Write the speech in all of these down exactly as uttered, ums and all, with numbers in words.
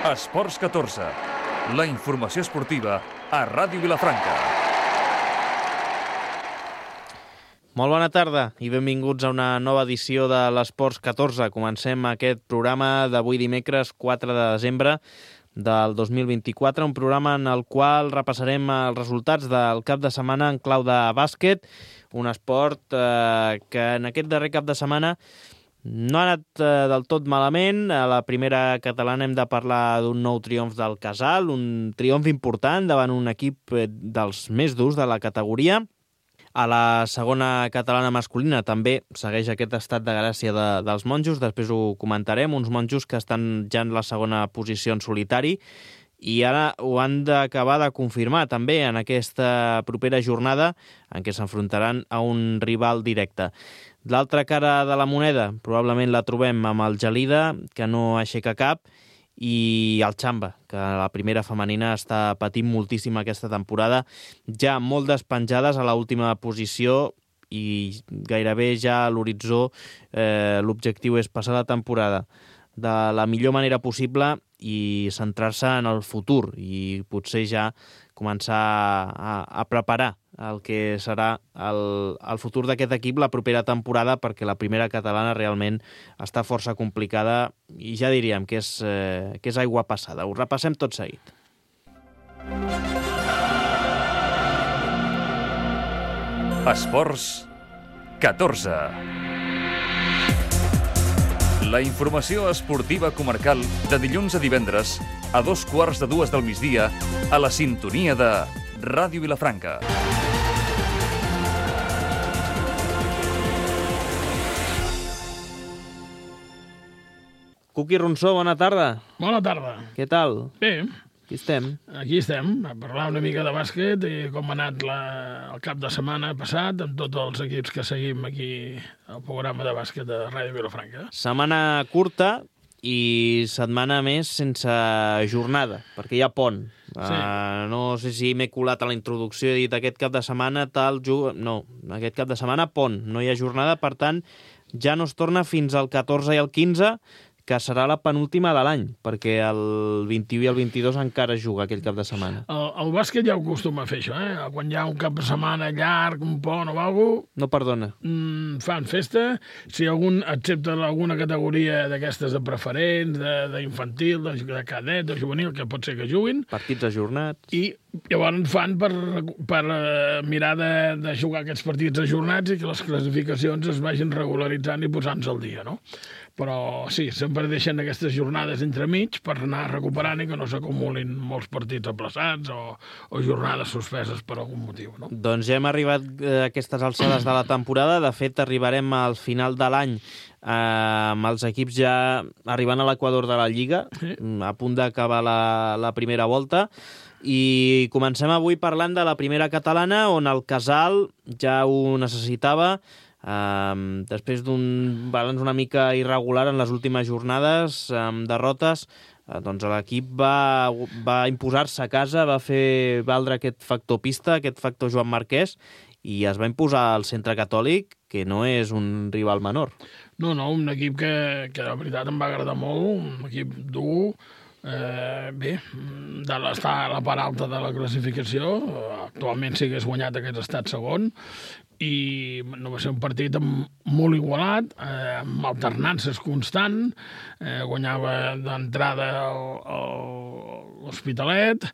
Esports catorze, la informació esportiva a Ràdio Vilafranca. Molt bona tarda i benvinguts a una nova edició de l'Esports catorze. Comencem aquest programa d'avui dimecres quatre de desembre del dos mil vint-i-quatre, un programa en el qual repassarem els resultats del cap de setmana en clau de bàsquet, un esport eh, que en aquest darrer cap de setmana no ha anat eh, del tot malament. A la primera catalana hem de parlar d'un nou triomf del Casal, un triomf important davant un equip dels més durs de la categoria. A la segona catalana masculina també segueix aquest estat de gràcia de, dels monjos, després ho comentarem, uns monjos que estan ja en la segona posició en solitari i ara ho han d'acabar de confirmar també en aquesta propera jornada en què s'enfrontaran a un rival directe. L'altra cara de la moneda probablement la trobem amb el Gelida, que no aixeca cap, i el Xamba, que la primera femenina està patint moltíssim aquesta temporada, ja molt despenjades a l'última posició i gairebé ja a l'horitzó eh, l'objectiu és passar la temporada de la millor manera possible i centrar-se en el futur i potser ja començar a, a preparar el que serà el, el futur d'aquest equip la propera temporada, perquè la primera catalana realment està força complicada i ja diríem que és, eh, que és aigua passada. Ho repassem tot seguit. Esports catorze. La informació esportiva comarcal de dilluns a divendres a dos quarts de dues del migdia a la sintonia de Ràdio Vilafranca. Cuqui Ronsó, bona tarda. Bona tarda. Què tal? Bé. Aquí estem. Aquí estem, a parlar una mica de bàsquet i com ha anat la, el cap de setmana passat amb tots els equips que seguim aquí al programa de bàsquet de Ràdio Vilafranca. Setmana curta i setmana més sense jornada, perquè hi ha pont. Sí. Uh, no sé si m'he colat a la introducció i he dit aquest cap de setmana tal... Jug... No, aquest cap de setmana pont, no hi ha jornada, per tant ja no es torna fins al catorze i el quinze, que serà la penúltima de l'any, perquè el vint-i-u i el vint-i-dos encara es juga aquell cap de setmana. El, el bàsquet ja ho acostuma a fer, això, eh? Quan hi ha un cap de setmana llarg, un pont o alguna cosa... No perdona. Mmm, fan festa, si algun, excepte alguna categoria d'aquestes de preferents, d'infantil, de, de, de cadet, de juvenil, que pot ser que juguin... Partits ajornats... I llavors fan per, per uh, mirar de, de jugar aquests partits ajornats i que les classificacions es vagin regularitzant i posant-se al dia, no? Però sí, sempre deixen aquestes jornades entremig per anar recuperant i que no s'acumulin molts partits aplaçats o, o jornades suspeses per algun motiu, no? Doncs ja hem arribat a aquestes alçades de la temporada. De fet, arribarem al final de l'any eh, amb els equips ja arribant a l'equador de la Lliga, sí, a punt d'acabar la, la primera volta. I comencem avui parlant de la primera catalana, on el Casal ja ho necessitava. Um, després d'un balanç una mica irregular en les últimes jornades, amb derrotes, uh, doncs l'equip va, va imposar-se a casa, va fer valdre aquest factor pista, aquest factor Joan Marquès, i es va imposar al Centre Catòlic, que no és un rival menor. No, no, un equip que, que de veritat em va agradar molt, un equip dur, eh, bé, de l'estar a la part alta de la classificació, actualment sí que és guanyat aquest estat segon, i no va ser un partit molt igualat, eh, amb alternances constant, eh, guanyava d'entrada l'Hospitalet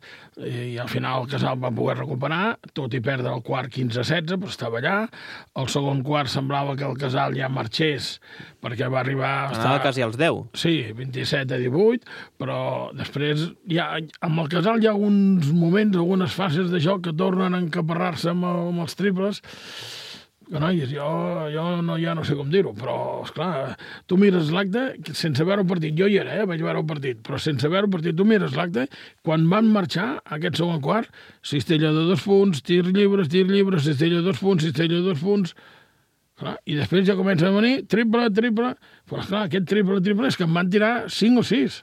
i al final el Casal va poder recuperar, tot i perdre el quart quinze a setze, però estava allà. El segon quart semblava que el Casal ja marxés perquè va arribar a estar... Anava quasi als deu. Sí, vint-i-set a divuit, però després ja, amb el Casal hi ha uns moments, algunes fases de joc que tornen a encaparrar-se amb, amb els triples. Que noies, jo, jo no, ja no sé com dir-ho, però, esclar, tu mires l'acte, sense veure el partit, jo hi era, eh, vaig veure el partit, però sense veure el partit, tu mires l'acte, quan van marxar, aquest segon quart, cistella de dos punts, tir lliures, tir lliures, cistella de dos punts, cistella de dos punts, clar, i després ja comença a venir triple, triple, però, esclar, aquest triple, triple és que em van tirar cinc o sis.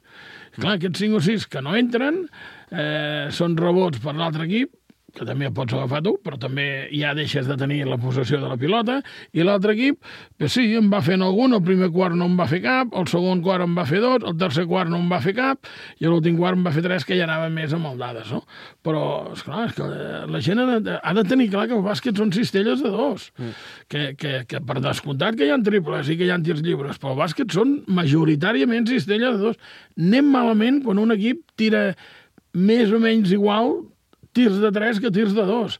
Clar, aquests cinc o sis que no entren, eh, són rebots per l'altre equip, que també el pots agafar tu, però també ja deixes de tenir la possessió de la pilota, i l'altre equip, pues sí, em va fent algun, el primer quart no em va fer cap, el segon quart em va fer dos, el tercer quart no em va fer cap, i l'últim quart em va fer tres, que ja anava més amb el dades, no? Però, esclar, és que la gent ha de, ha de tenir clar que el bàsquet són cistelles de dos, mm. que, que, que per descomptat que hi ha triples i que hi ha tirs lliures, però el bàsquet són majoritàriament cistelles de dos. Anem malament quan un equip tira més o menys igual tirs de tres que tirs de dos,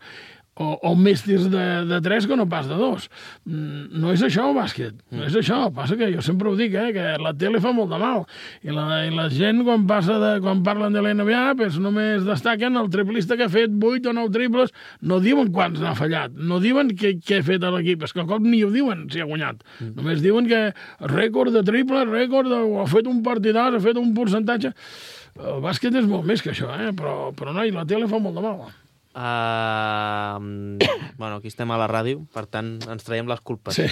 o, o més tirs de, de tres que no pas de dos. No és això el bàsquet, no és això. Passa que jo sempre ho dic, eh, que la tele fa molt de mal, i la, i la gent quan, passa de, quan parlen de l'N B A pues només destaquen el triplista que ha fet vuit o nou triples, no diuen quants n'ha fallat, no diuen què, què ha fet l'equip, és que al cop ni ho diuen si ha guanyat, mm. només diuen que rècord de triples, rècord de, o ha fet un partidàs, ha fet un percentatge. El bàsquet és molt més que això, eh? però, però no, i la tele fa molt de mal. Uh, bueno, aquí estem a la ràdio, per tant, ens traiem les culpes. Sí.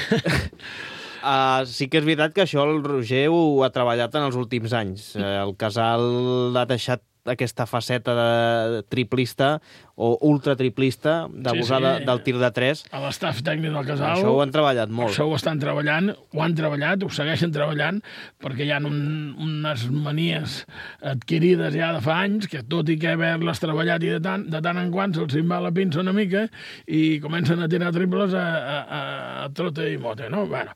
Uh, sí que és veritat que això el Roger ho ha treballat en els últims anys. Uh, el Casal ha deixat aquesta faceta de triplista o ultratriplista, d'abusar sí, sí. del tir de tres. A l'estaf tècnic del Casal... Això ho han treballat molt. Això ho estan treballant, ho han treballat, ho segueixen treballant, perquè hi ha un, unes manies adquirides ja de fa anys, que tot i que haver-les treballat i de tant, de tant en quant se'ls va la pinça una mica i comencen a tirar triples a, a, a, a trote i mote, no? Bueno,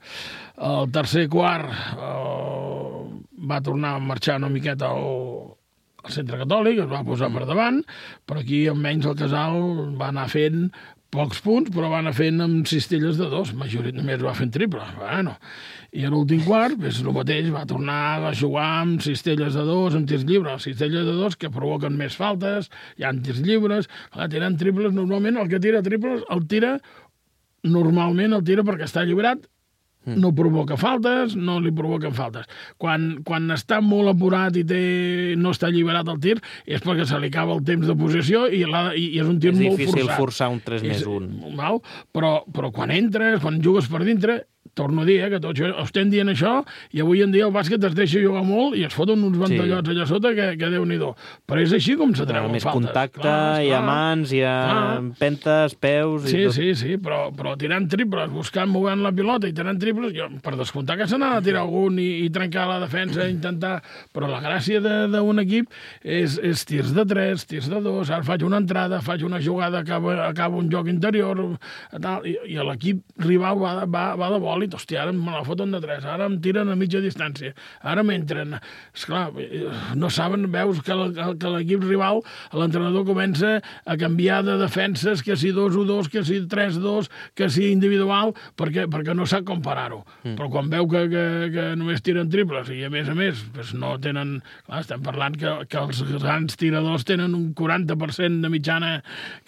el tercer quart eh, va tornar a marxar una miqueta al el Centre Catòlic, es va posar per davant, però aquí almenys el Casal va anar fent pocs punts, però va anar fent amb cistelles de dos, majoritàriament va fent triple. Bueno, i a l'últim quart, és el mateix, va tornar a jugar amb cistelles de dos, amb tirs lliures, cistelles de dos que provoquen més faltes, hi ha tirs lliures, clar, tirant triples, normalment el que tira triples el tira, normalment el tira perquè està lliurat, no provoca faltes, no li provoquen faltes. Quan, quan està molt apurat i té, no està alliberat el tir, és perquè se li acaba el temps de possessió i, la, i, i és un tir molt forçat. És difícil forçar un tres més un. Val? Però, però quan entres, quan jugues per dintre, torno a dir, eh, que tots estem dient això, i avui en dia el bàsquet es deixa jugar molt i es foten uns ventallots sí. allà sota que, que Déu-n'hi-do. Però és així com se treuen més faltes. Més contacte, clar, hi ha mans, hi ha clar. Pentes, peus... Sí, i tot. sí, sí, però, però tirant triples, buscant, movent la pilota i tirant triples, jo, per descomptar que se n'ha de tirar algun i, i trencar la defensa, intentar... Però la gràcia d'un equip és, és tirs de tres, tirs de dos, ara faig una entrada, faig una jugada, acaba, acaba un joc interior, tal, i, i l'equip rival va, va, va de bòlit, hòstia, ara me la foten de tres, ara em tiren a mitja distància, ara m'entren. Esclar, no saben, veus que l'equip rival, l'entrenador comença a canviar de defenses, que si dos o dos, que si tres dos, que si individual, perquè, perquè no sap com parar-ho. Mm. Però quan veu que, que, que només tiren triples i a més a més pues no tenen... Clar, estem parlant que, que els grans tiradors tenen un quaranta per cent de mitjana,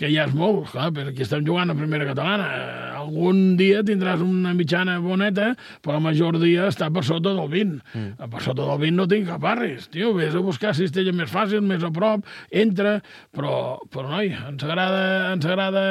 que ja és molt, clar, perquè aquí estem jugant a primera catalana. Algun dia tindràs una mitjana boneta, però la major dia està per sota del vint. Mm. Per sota del vint no tinc cap arris. Tio, vés a buscar cistella més fàcil, més a prop, entra, però, però noi, ens agrada, ens agrada...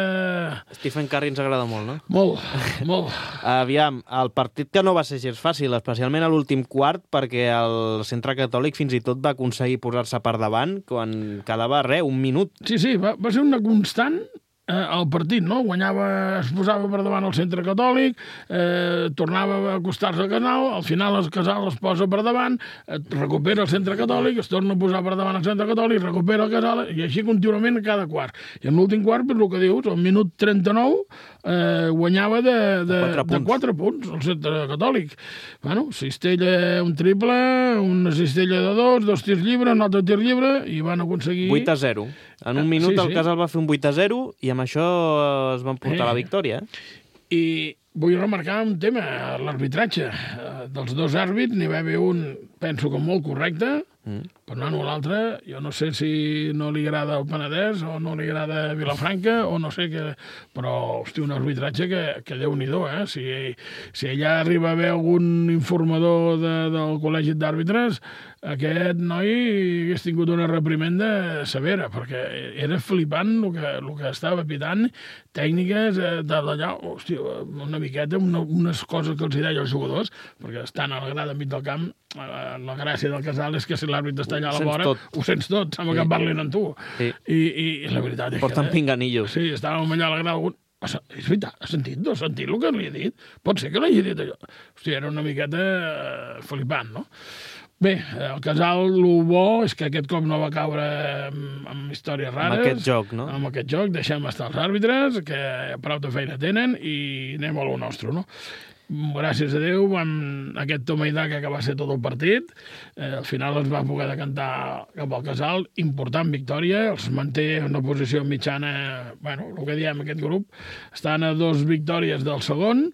Stephen Curry ens agrada molt, no? Molt, molt. Aviam, el partit que no va ser gens fàcil, especialment a l'últim quart, perquè el Centre Catòlic fins i tot va aconseguir posar-se per davant quan quedava, res, un minut. Sí, sí, va, va ser una constant eh, el partit, no? Guanyava, es posava per davant el Centre Catòlic, eh, tornava a acostar-se al Casal, al final el Casal es posa per davant, eh, recupera el Centre Catòlic, es torna a posar per davant el Centre Catòlic, recupera el Casal, i així contínuament a cada quart. I en l'últim quart, per el que dius, al minut trenta-nou, eh, guanyava de, de, de, de quatre punts el Centre Catòlic. Bueno, cistella, un triple, una cistella de dos, dos tirs lliures, un altre tir lliure, i van aconseguir... vuit a zero. En un minut sí, el sí. Casal va fer un vuit a zero i amb això es van portar eh. la victòria. I vull remarcar un tema, l'arbitratge. Dels dos àrbits n'hi va haver un, penso que molt correcte, mm. però no, l'altre, jo no sé si no li agrada el Penedès o no li agrada Vilafranca o no sé què, però, hosti, un arbitratge que, que Déu-n'hi-do, eh? Si, si allà arriba a haver algun informador de, del col·legi d'àrbitres, aquest noi hagués tingut una reprimenda severa, perquè era flipant el que, el que estava pitant, tècniques de d'allà, hosti, una miqueta, una, unes coses que els hi deia als jugadors, perquè estan a la grada enmig del camp, la gràcia del Casal és que si l'àrbitre està allà a la Ho sents vora, tot. ho sents tot, sembla Sí. que parlin amb tu. Sí. I, i, I la veritat és Porten que... pinganillos. Sí, estàvem allà a la grada... algun- És veritat, has sentit? No has sentit el que li he dit? Pot ser que l'hagi dit allò. Hòstia, era una miqueta eh, flipant, no? Bé, el Casal, el bo és que aquest cop no va caure amb, amb històries rares. Amb aquest joc, no? Amb aquest joc, deixem estar els àrbitres, que prou de feina tenen, i anem a lo nostre, no? Gràcies a Déu, amb aquest toma i daca que va ser tot el partit, eh, al final es va poder decantar cap al Casal, important victòria, els manté en una posició mitjana, bueno, el que diem, aquest grup, estan a dos victòries del segon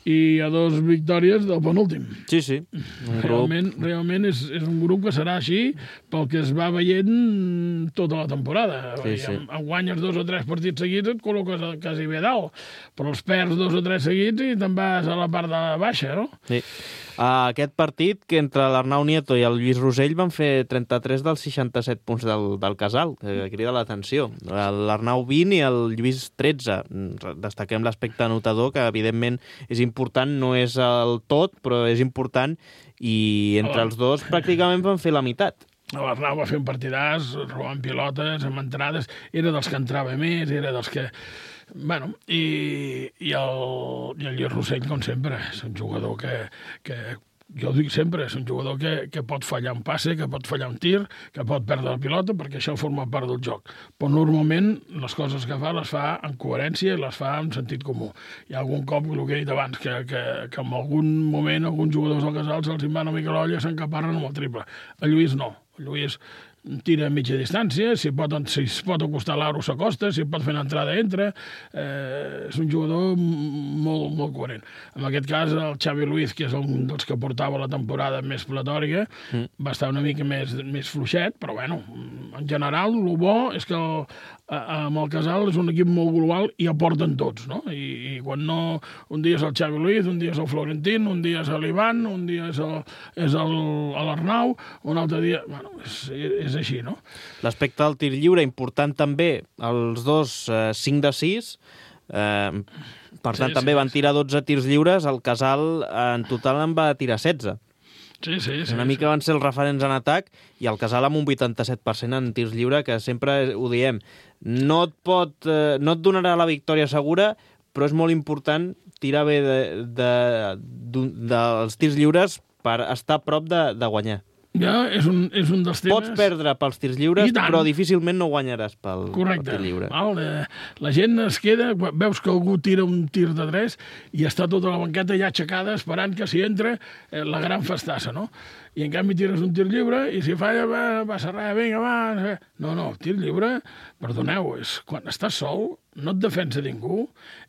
i a dos victòries del penúltim. Sí, sí. Un grup... Realment, realment és, és un grup que serà així pel que es va veient tota la temporada. Sí, sí. Em, em guanyes dos o tres partits seguits, et col·loques a- quasi bé dalt, però els perds dos o tres seguits i te'n vas a la part de baixa, no? Sí. Uh, aquest partit, que entre l'Arnau Nieto i el Lluís Rosell van fer trenta-tres dels seixanta-set punts del, del Casal, que crida l'atenció. L'Arnau vint i el Lluís tretze. Destaquem l'aspecte anotador, que evidentment és important, no és el tot, però és important, i entre els dos pràcticament van fer la meitat. L'Arnau va fer un partidàs, robant pilotes, amb entrades, era dels que entrava més, era dels que... Bueno, i, i, el, i el Lluís Rossell, com sempre, és un jugador que, que jo ho dic sempre, és un jugador que, que pot fallar un passe, que pot fallar un tir, que pot perdre la pilota, perquè això forma part del joc. Però normalment les coses que fa les fa en coherència i les fa en sentit comú. Hi ha algun cop, el que he dit abans, que, que, que en algun moment alguns jugadors del Casal se'ls en va una mica l'olla i s'encaparren amb el triple. El Lluís no. El Lluís tira a mitja distància, si pot, si es pot acostar l'aro s'acosta, si pot fer una entrada entra, eh, és un jugador molt, molt coherent. En aquest cas, el Xavi Luiz, que és un dels que portava la temporada més platòrica, mm. va estar una mica més, més fluixet, però bueno, en general, el bo és que el, amb el Casal és un equip molt global i aporten tots, no? I, i quan no... Un dia és el Xavi Luiz, un dia és el Florentín, un dia és l'Ivan, un dia és l'Arnau, un altre dia... Bueno, és, és és així, no? L'aspecte del tir lliure, important també, els dos eh, cinc de sis, eh, per tant Sí, també sí, van sí. tirar dotze tirs lliures, el Casal en total en va tirar setze. Sí, sí, sí. Una mica van ser els referents en atac i el Casal amb un vuitanta-set per cent en tirs lliure, que sempre ho diem. No et, pot, eh, no et donarà la victòria segura, però és molt important tirar bé de, de, de, dels tirs lliures per estar a prop de, de guanyar. Ja, és un, és un dels temes... Pots perdre pels tirs lliures, I tant. però difícilment no guanyaràs pel, Correcte. pel tir lliure. Val, eh, la gent es queda, veus que algú tira un tir de tres i està tota la banqueta ja aixecada esperant que si entra eh, la gran festassa, no? I en canvi tires un tir lliure i si falla, va, passa res, vinga, va... No, no, el tir lliure, perdoneu, és quan estàs sol, no et defensa ningú,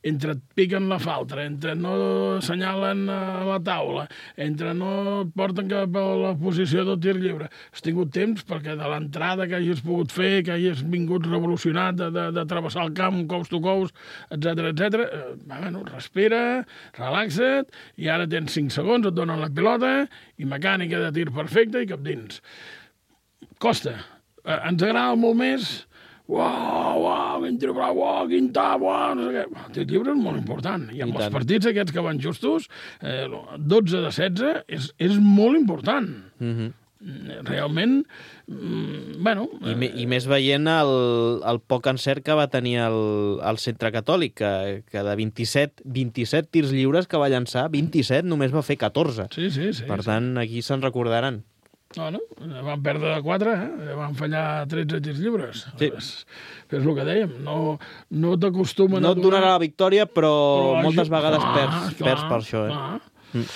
entre et piquen la falta, entre no assenyalen a la taula, entre no et porten cap a la posició del tir lliure. Has tingut temps perquè de l'entrada que hagis pogut fer, que hagis vingut revolucionat de, de, de travessar el camp coast to coast, etcètera, etcètera. Eh, bueno, respira, relaxa't, i ara tens cinc segons, et donen la pilota, i mecànica de tir perfecta i cap dins. Costa. Eh, ens agrada molt més... Uau, uau, quin tir brau, uau, quin tap, uau, no sé què. El tir lliure és molt important. I amb I els tant. partits aquests que van justos, eh, dotze de setze, és, és molt important. Mhm. Realment, mm, bueno... I, me, I més veient el, el poc encert que va tenir el, el centre catòlic, que, que de vint-i-set, vint-i-set tirs lliures que va llançar, vint-i-set només va fer catorze. Sí, sí, sí. Per sí. tant, aquí se'n recordaran. No, no, van perdre de quatre, eh? Van fallar tretze tirs lliures. Sí. És, és el que dèiem, no, no t'acostumen No a et donar... donarà la victòria, però, però moltes aj- vegades clar, perds, clar, perds per això. Eh? clar. Mm.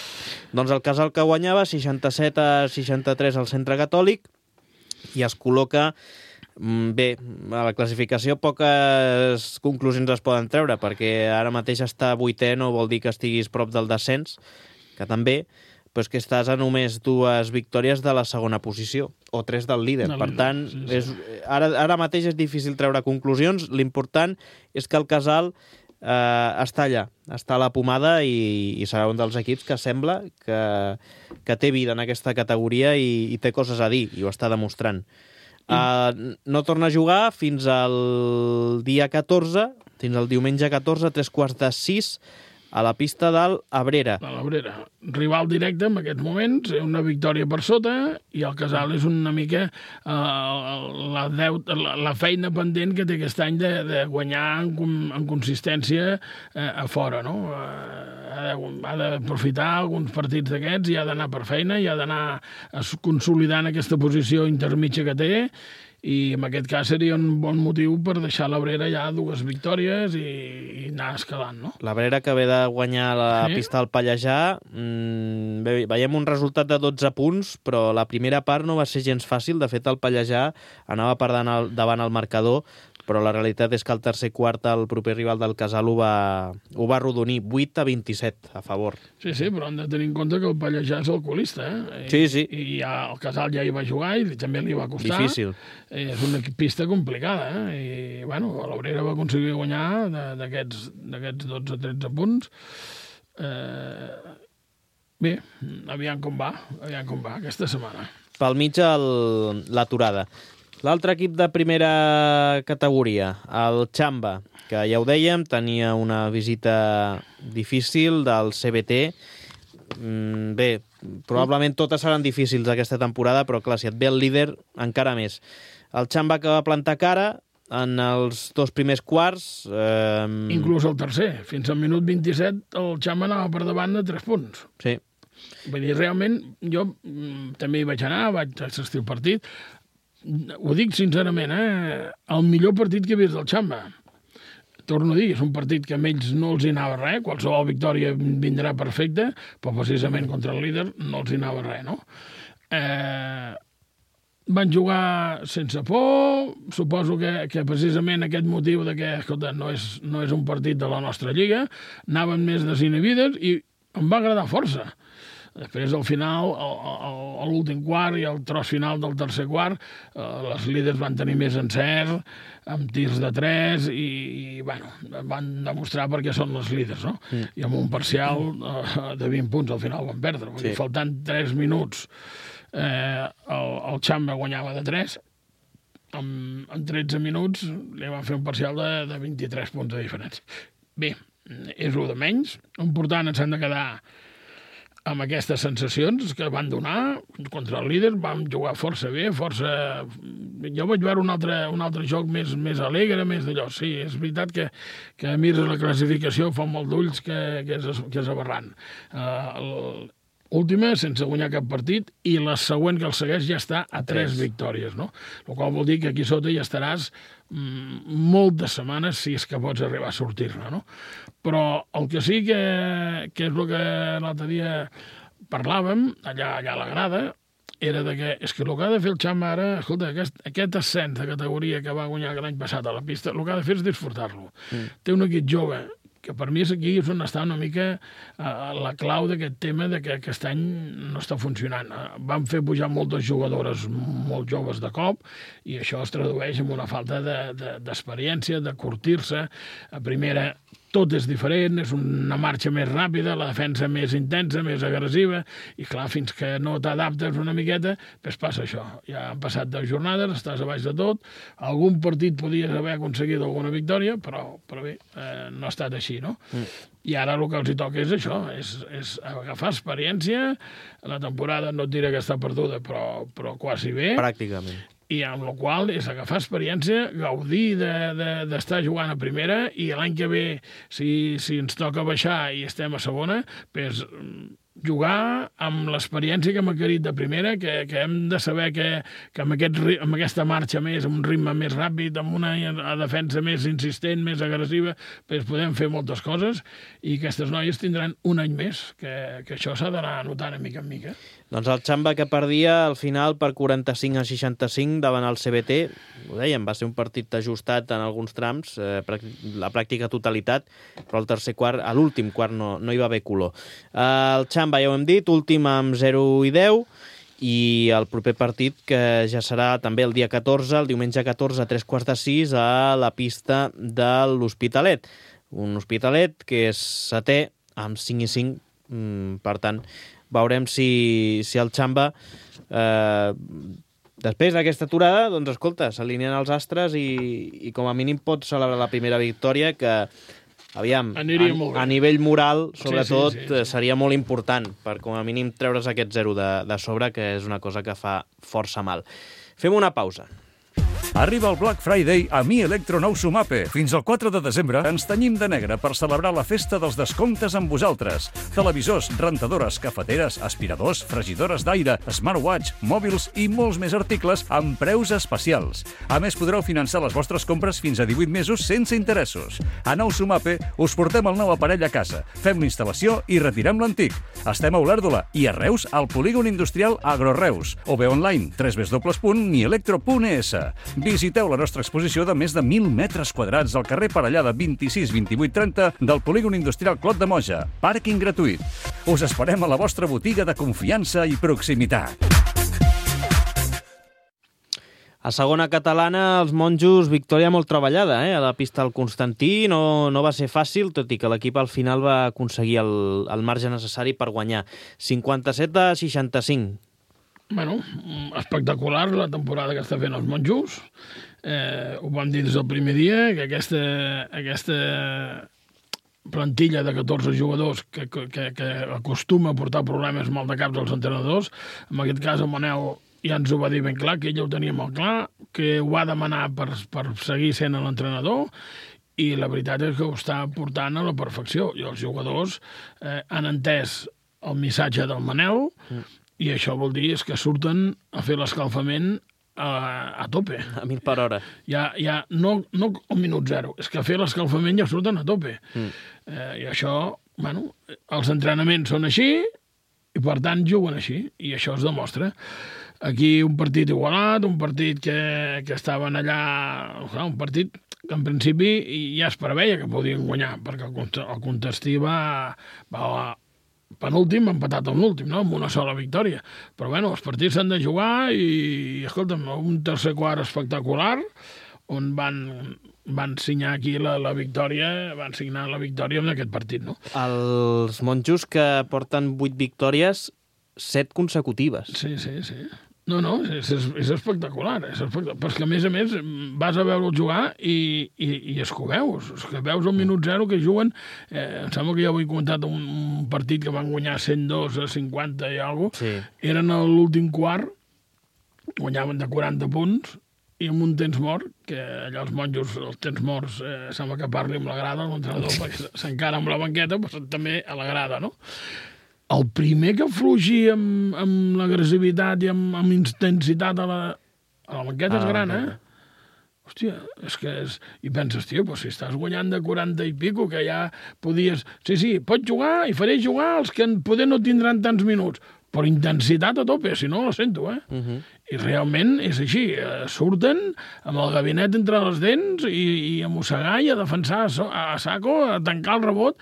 Doncs el Casal que guanyava, seixanta-set a seixanta-tres al centre catòlic, i es col·loca... mm, Bé, a la classificació poques conclusions es poden treure, perquè ara mateix estar vuitè no vol dir que estiguis prop del descens, que també, però és que estàs a només dues victòries de la segona posició, o tres del líder. Del Per líder, tant, sí, sí. és, ara, ara mateix és difícil treure conclusions. L'important és que el Casal eh, està allà, està a la pomada i, i serà un dels equips que sembla que, que té vida en aquesta categoria i, i té coses a dir, i ho està demostrant. Uh, no torna a jugar fins al dia catorze, fins al diumenge catorze, tres quarts de sis, a la pista del Abrera. De l'Abrera. Rival directe en aquests moments, una victòria per sota, i el Casal és una mica uh, la, deut, la, la feina pendent que té aquest any de, de guanyar en, en consistència uh, a fora, no? Uh, ha de, ha d'aprofitar alguns partits d'aquests i ha d'anar per feina, i ha d'anar consolidant aquesta posició intermitja que té, i en aquest cas seria un bon motiu per deixar l'Abrera ja dues victòries i, i anar escalant, no? L'Abrera que ve de guanyar la sí. pista del Pallejà, mmm, bé, veiem un resultat de dotze punts, però la primera part no va ser gens fàcil. De fet, el Pallejà anava per davant el marcador, però la realitat és que el tercer quart el proper rival del Casal ho va, ho va arrodonir, vuit a vint-i-set a favor. Sí, sí, però hem de tenir en compte que el Pallejà és alcoholista, eh? I, sí, sí. I ja, el Casal ja hi va jugar i també li va costar. Difícil. És una pista complicada, eh? I, bueno, l'Obrera va aconseguir guanyar d'aquests dotze tretze punts. Eh... Bé, aviam com va, aviam com va aquesta setmana. Pel mig l'aturada. L'altre equip de primera categoria, el Xamba, que ja ho dèiem, tenia una visita difícil del C B T. Mm, bé, probablement totes seran difícils aquesta temporada, però clar, si et ve el líder, encara més. El Xamba que va plantar cara en els dos primers quarts... Eh... Inclús el tercer. Fins al minut vint-i-set el Xamba anava per davant de tres punts. Sí. Vull dir, realment, jo també hi vaig anar, vaig assistir al partit. Ho dic sincerament, eh? El millor partit que he vist del Xamba. Torno a dir, és un partit que a ells no els hi anava res, qualsevol victòria vindrà perfecta, però precisament contra el líder no els hi anava res, no? Eh, van jugar sense por, suposo que, que precisament aquest motiu de que, escolta, no és, no és un partit de la nostra lliga, anaven més desinhibides i em va agradar força. Després, al final, a l'últim quart i al tros final del tercer quart, eh, les líders van tenir més encert, amb tirs de tres, i, i bueno, van demostrar per què són les líders, no? Mm. I amb un parcial eh, de vint punts al final van perdre. Sí. Faltant tres minuts, eh, el, el Xamba guanyava de tres, en, en tretze minuts li van fer un parcial de, de vint-i-tres punts de diferència. Bé, és un de menys. Important, ens han de quedar amb aquestes sensacions que van donar contra el líder. Vam jugar força bé, força... Jo vaig veure un altre, un altre joc més, més alegre, més d'allò. Sí, és veritat que, que mires la classificació, fa molt d'ulls que, que, és, que és aberrant. Uh, Última, sense guanyar cap partit, i la següent que el segueix ja està a tres victòries, no? El qual vol dir que aquí sota ja estaràs mm, molt de setmanes si és que pots arribar a sortir-ne, no? Però el que sí que, que és el que l'altre dia parlàvem, allà, allà a la grada, era de que, és que el que ha de fer el Xamba ara, escolta, aquest, aquest ascens de categoria que va guanyar l'any passat a la pista, el que ha de fer és disfrutar-lo. Mm. Té un equip jove, que per mi és aquí és on està una mica uh, la clau d'aquest tema de que aquest any no està funcionant. Uh, van fer pujar moltes jugadores molt joves de cop i això es tradueix en una falta d'experiència, de, de, de curtir-se. A primera tot és diferent, és una marxa més ràpida, la defensa més intensa, més agressiva, i clar, fins que no t'adaptes una miqueta, doncs passa això. Ja han passat deu jornades, estàs a baix de tot, algun partit podies haver aconseguit alguna victòria, però, però bé, eh, no ha estat així, no? Mm. I ara el que els hi toca és això, és, és agafar experiència. La temporada no et diré que està perduda, però, però quasi bé. Pràcticament. I amb la qual és agafar experiència, gaudir d'estar de, de, jugant a primera, i l'any que ve, si, si ens toca baixar i estem a segona, doncs jugar amb l'experiència que hem adquirit de primera, que, que hem de saber que, que amb, aquest, amb aquesta marxa més, amb un ritme més ràpid, amb una defensa més insistent, més agressiva, doncs podem fer moltes coses, i aquestes noies tindran un any més, que, que això s'ha d'anar notant a mica en mica. Doncs el Xamba que perdia al final per quaranta-cinc a seixanta-cinc davant el C B T, ho dèiem, va ser un partit ajustat en alguns trams, eh, la pràctica totalitat, però al tercer quart, a l'últim quart no, no hi va haver color. Eh, el Xamba, ja ho hem dit, últim amb zero i deu, i el proper partit, que ja serà també el dia catorze, el diumenge catorze a tres quarts de sis, a la pista de l'Hospitalet. Un Hospitalet que és setè amb cinc i cinc, mm, per tant, veurem si, si el Xamba, eh, després d'aquesta aturada, doncs escolta, s'alineen els astres i, i com a mínim pot celebrar la primera victòria, que aviam, a, a nivell moral, sobretot, sí, sí, sí, sí. seria molt important per, com a mínim, treure's aquest zero de, de sobre, que és una cosa que fa força mal. Fem una pausa. Arriba el Black Friday a Mi Electro Nou Sumape. Fins al quatre de desembre ens tenyim de negre per celebrar la festa dels descomptes amb vosaltres. Televisors, rentadores, cafeteres, aspiradors, fregidores d'aire, smartwatch, mòbils i molts més articles amb preus especials. A més, podreu finançar les vostres compres fins a divuit mesos sense interessos. A Nou Sumape us portem el nou aparell a casa, fem l'instal·lació i retirem l'antic. Estem a Olèrdola i a Reus al polígon industrial Agroreus o bé online w w w punt mi electro punt e s. Visiteu la nostra exposició de més de mil metres quadrats al carrer Parellada vint-i-sis vint-i-vuit trenta del polígon industrial Clot de Moja. Pàrquing gratuït. Us esperem a la vostra botiga de confiança i proximitat. A segona catalana, els monjos, victòria molt treballada, eh? A la pista del Constantí no, no va ser fàcil, tot i que l'equip al final va aconseguir el, el marge necessari per guanyar. cinquanta-set a seixanta-cinc. Bueno, espectacular la temporada que està fent els monjos. Eh, ho vam dir des del primer dia, que aquesta, aquesta plantilla de catorze jugadors que, que, que acostuma a portar problemes mal de caps als entrenadors, en aquest cas el Manel ja ens ho va dir ben clar, que ell ho tenia molt clar, que ho va demanar per, per seguir sent l'entrenador, i la veritat és que ho està portant a la perfecció. I els jugadors eh, han entès el missatge del Manel, mm. i això vol dir és que surten a fer l'escalfament a, a tope. A mil per hora. Ja, ja no, no al minut zero, és que a fer l'escalfament ja surten a tope. Mm. Eh, I això, bueno, els entrenaments són així i per tant juguen així, i això es demostra. Aquí un partit igualat, un partit que, que estaven allà, un partit que en principi ja es preveia que podien guanyar, perquè el Contestí va, va penúltim, empatat amb l'últim, no? Amb una sola victòria. Però bueno, els partits s'han de jugar i, escolta'm, un tercer quart espectacular, on van, van signar aquí la, la victòria, van signar la victòria en aquest partit, no? Els monjos que porten vuit victòries, set consecutives. Sí, sí, sí. No, no, és, és, és espectacular, és espectacular. Però és que, a més a més, vas a veure'l jugar i, i, i és que ho veus. És que veus el minut zero que juguen. Eh, em sembla que ja ho he comentat, un, un partit que van guanyar cent dos a cinquanta i alguna cosa. Sí. Eren a l'últim quart, guanyaven de quaranta punts, i amb un temps mort, que allà els monjos, els temps morts, eh, sembla que parli amb la grada, l'entrenador, perquè s'encara amb la banqueta, però també a la grada, no? El primer que fluixi amb, amb l'agressivitat i amb, amb intensitat a la, a la banqueta ah, és gran, eh? Hòstia, és que és... I penses, tio, però si estàs guanyant de quaranta i pico, que ja podies... Sí, sí, pots jugar i faré jugar els que poder no tindran tants minuts, però intensitat a tope, si no, la sento, eh? Uh -huh. I realment és així, eh, surten amb el gabinet entre les dents i, i a mossegar i a defensar a, a saco, a tancar el rebot.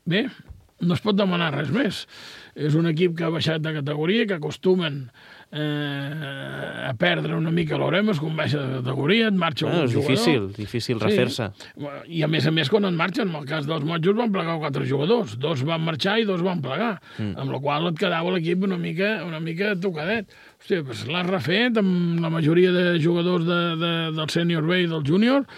Bé, no es pot demanar res més. És un equip que ha baixat de categoria, que acostumen eh, a perdre una mica l'Oremus quan baixa de categoria, et marxa ah, un és jugador. difícil, difícil refer-se. Sí. I a més a més quan et marxen, en el cas dels monjos van plegar quatre jugadors, dos van marxar i dos van plegar, mm. amb la qual et quedava l'equip una mica, una mica tocadet. Hòstia, doncs l'has refet amb la majoria de jugadors de, de, del sènior B i del júnior,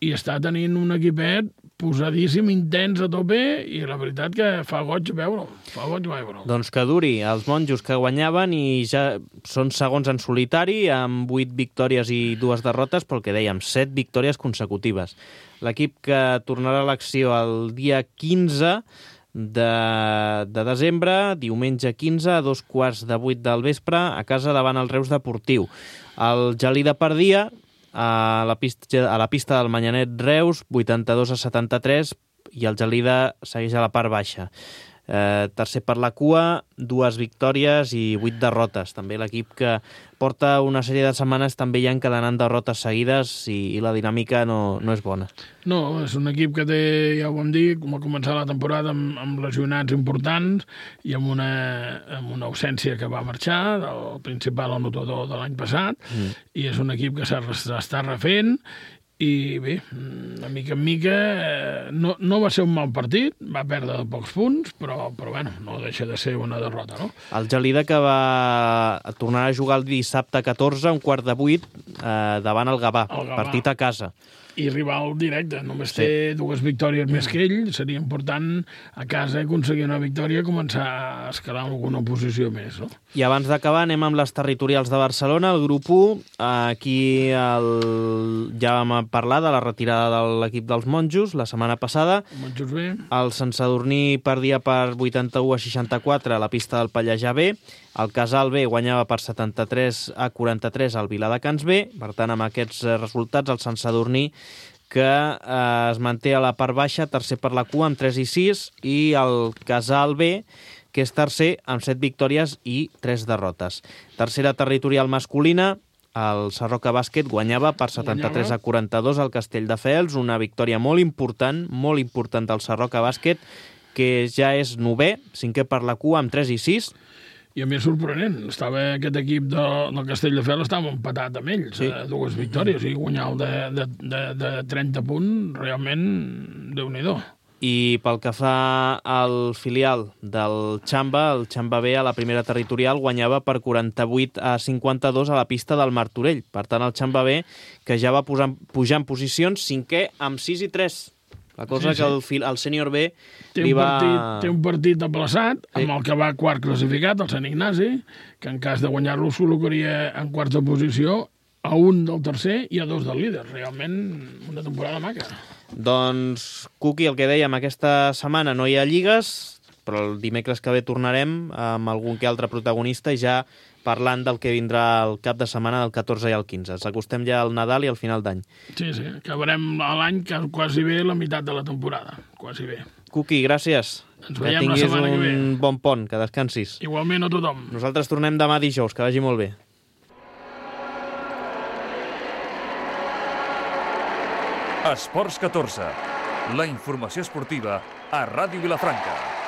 i està tenint un equipet posadíssim, intens a tope, i la veritat que fa goig veure-ho, fa goig veure-ho. Doncs que duri, els monjos que guanyaven i ja són segons en solitari, amb vuit victòries i dues derrotes, però el que dèiem, set victòries consecutives. L'equip que tornarà a l'acció el dia quinze de, de desembre, diumenge quinze, a dos quarts de vuit del vespre, a casa davant el Reus Deportiu. El Gelida perdia a la pista, a la pista del Manyanet Reus, vuitanta-dos a setanta-tres, i el Gelida segueix a la part baixa. Eh, tercer per la cua, dues victòries i vuit derrotes. També l'equip que porta una sèrie de setmanes també ja encadenant derrotes seguides i, i la dinàmica no, no és bona. No, és un equip que té, ja ho vam dir, com a començar la temporada amb, amb lesionats importants i amb una, amb una ausència que va marxar, del principal anotador de l'any passat, mm. i és un equip que s'està refent. I bé, de mica en mica, eh, no, no va ser un mal partit, va perdre de pocs punts, però, però bueno, no deixa de ser una derrota, no? El Gelida que va tornar a jugar el dissabte catorze, un quart de vuit, eh, davant el Gavà, el Gavà, partit a casa. i rival directe. Només sí. té dues victòries més que ell. Seria important a casa aconseguir una victòria i començar a escalar alguna posició més. No? I abans d'acabar anem amb les territorials de Barcelona, el grup u. Aquí el... ja vam parlar de la retirada de l'equip dels monjos la setmana passada. Monjos B. El Sant Sadurní perdia per vuitanta-u a seixanta-quatre a la pista del Pallejà B. El Casal B guanyava per setanta-tres a quaranta-tres al Viladecans B. Per tant, amb aquests resultats, el Sant Sadurní, que eh, es manté a la part baixa, tercer per la cua, amb tres i sis, i el Casal B, que és tercer, amb set victòries i tres derrotes. Tercera territorial masculina, el Sarroca Bàsquet guanyava per setanta-tres a quaranta-dos al Castelldefels, una victòria molt important, molt important del Sarroca Bàsquet, que ja és novè, cinquè per la cua, amb tres i sis. I a més sorprenent, estava aquest equip de, del Castelldefels estava empatat amb ells, sí. eh, dues victòries, i guanyar el de, de, de, de trenta punts, realment, Déu-n'hi-do. I pel que fa al filial del Xamba, el Xamba B a la primera territorial guanyava per quaranta-vuit a cinquanta-dos a la pista del Martorell. Per tant, el Xamba B, que ja va posar, pujar en posicions, cinquè amb sis i tres. La cosa sí, sí. que el, el sènior B té li un, va... partit, té un partit aplaçat sí. amb el que va quart classificat, el Sant Ignasi, que en cas de guanyar-lo es col·locaria en quarta posició a un del tercer i a dos del líder. Realment una temporada maca. Doncs, Cuqui, el que dèiem, aquesta setmana no hi ha lligues, però el dimecres que ve tornarem amb algun que altre protagonista i ja parlant del que vindrà el cap de setmana del catorze i el quinze. Ens acostem ja al Nadal i al final d'any. Sí, sí, acabarem l'any quasi bé la meitat de la temporada, quasi bé. Cuqui, gràcies. Ens que veiem la setmana que ve. Tinguis un bon pont, que descansis. Igualment a tothom. Nosaltres tornem demà dijous, que vagi molt bé. Esports catorze, la informació esportiva a Ràdio Vilafranca.